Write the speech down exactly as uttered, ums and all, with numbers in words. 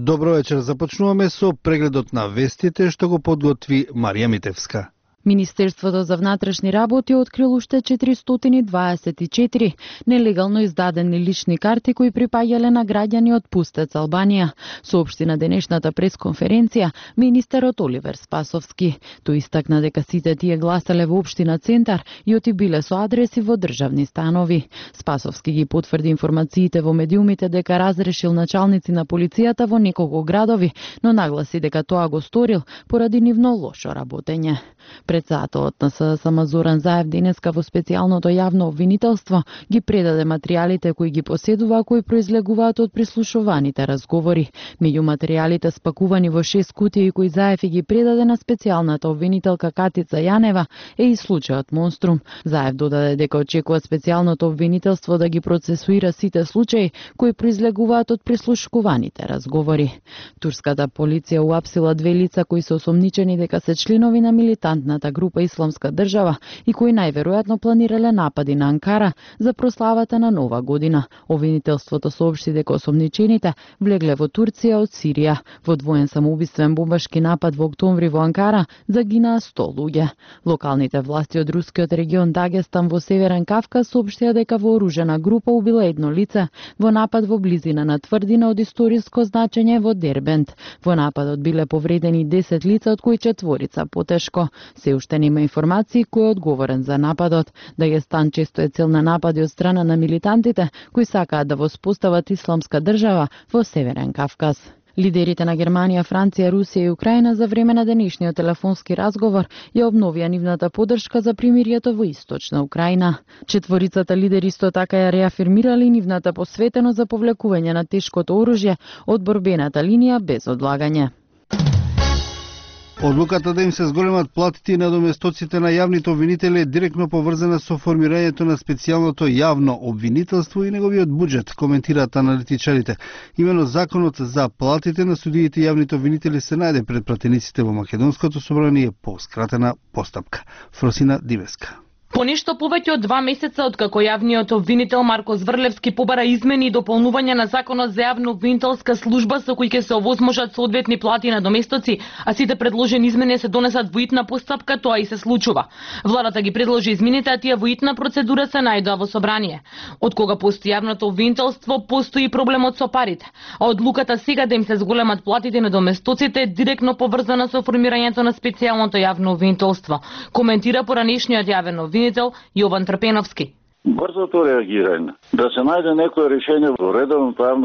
Добро вечер, започнуваме со прегледот на вестите што го подготви Марија Митевска. Министерството за внатрешни работи открил уште четиристотини дваесет и четири нелегално издадени лични карти кои припаѓале на граѓани од Пустец, Албанија, соопшти на денешната пресконференција министерот Оливер Спасовски. Тој истакна дека сите тие гласеле во општина Центар и оти биле со адреси во државни станови. Спасовски ги потврди информациите во медиумите дека разрешил началници на полицијата во неколку градови, но нагласи дека тоа го сторил поради нивно лошо работење. Председателот на СДСМ Зоран Заев денеска во специјалното јавно обвинителство ги предаде материјалите кои ги поседува, кои произлегуваат од прислушуваните разговори. Меѓу материјалите спакувани во шест кутии кои Заев ги предаде на специјалната обвинителка Катица Јанева е и случајот Монструм. Заев додаде дека очекува специјалното обвинителство да ги процесуира сите случаи кои произлегуваат од прислушуваните разговори. Турската полиција уапсила две лица кои се осомничени дека се членови на милитантната група Исламска држава и кои најверојатно планирале напади на Анкара за прославата на Нова година. Обвинителството соопшти дека осомничените влегле во Турција од Сирија. Во двоен самоубиствен бомбашки напад во октомври во Анкара загинаа сто луѓе. Локалните власти од рускиот регион Дагестан во Северен Кавказ соопштија дека вооружена група убила едно лице во напад во близина на тврдина од историско значење во Дербент. Во нападот биле повредени десет лица, од кои четворица потешко. Се уште нема информации кој е одговорен за нападот. Дагестан често е цел на напади од страна на милитантите кои сакаат да воспостават исламска држава во Северен Кавказ. Лидерите на Германија, Франција, Русија и Украина за време на денешниот телефонски разговор ја обновија нивната поддршка за примирието во Источна Украина. Четворицата лидери исто така ја реафирмирали нивната посветеност за повлекување на тешкото оружје од борбената линија без одлагање. Одлуката да им се зголемат платите на доместоците на јавните обвинители е директно поврзана со формирањето на специјалното јавно обвинителство и неговиот буџет, коментираат аналитичарите. Имено законот за платите на судиите и јавните обвинители се најде пред пратениците во Македонското собрание по скратена постапка. Фросина Дивеска. По нешто повеќе од два месеца откако јавниот обвинител Марко Зврлевски побара измени и дополнување на законот за јавно обвинителска служба со кои ќе се овозможат соодветни плати на доместоци, а сите предложени измени се донесат во итна постапка, тоа и се случува. Владата ги предложи измените, а тие во итна процедура се најдоа во собрание. Од кога постои јавното обвинителство, постои проблемот со парите, а одлуката сега да им се зголемат платите на доместоците е директно поврзана со формирањето на специјалното јавно обвинителство, коментира поранешниот јавен обвинител Јован Трпеновски. Брзото реагирање, да се најде некое решение во редовното јавно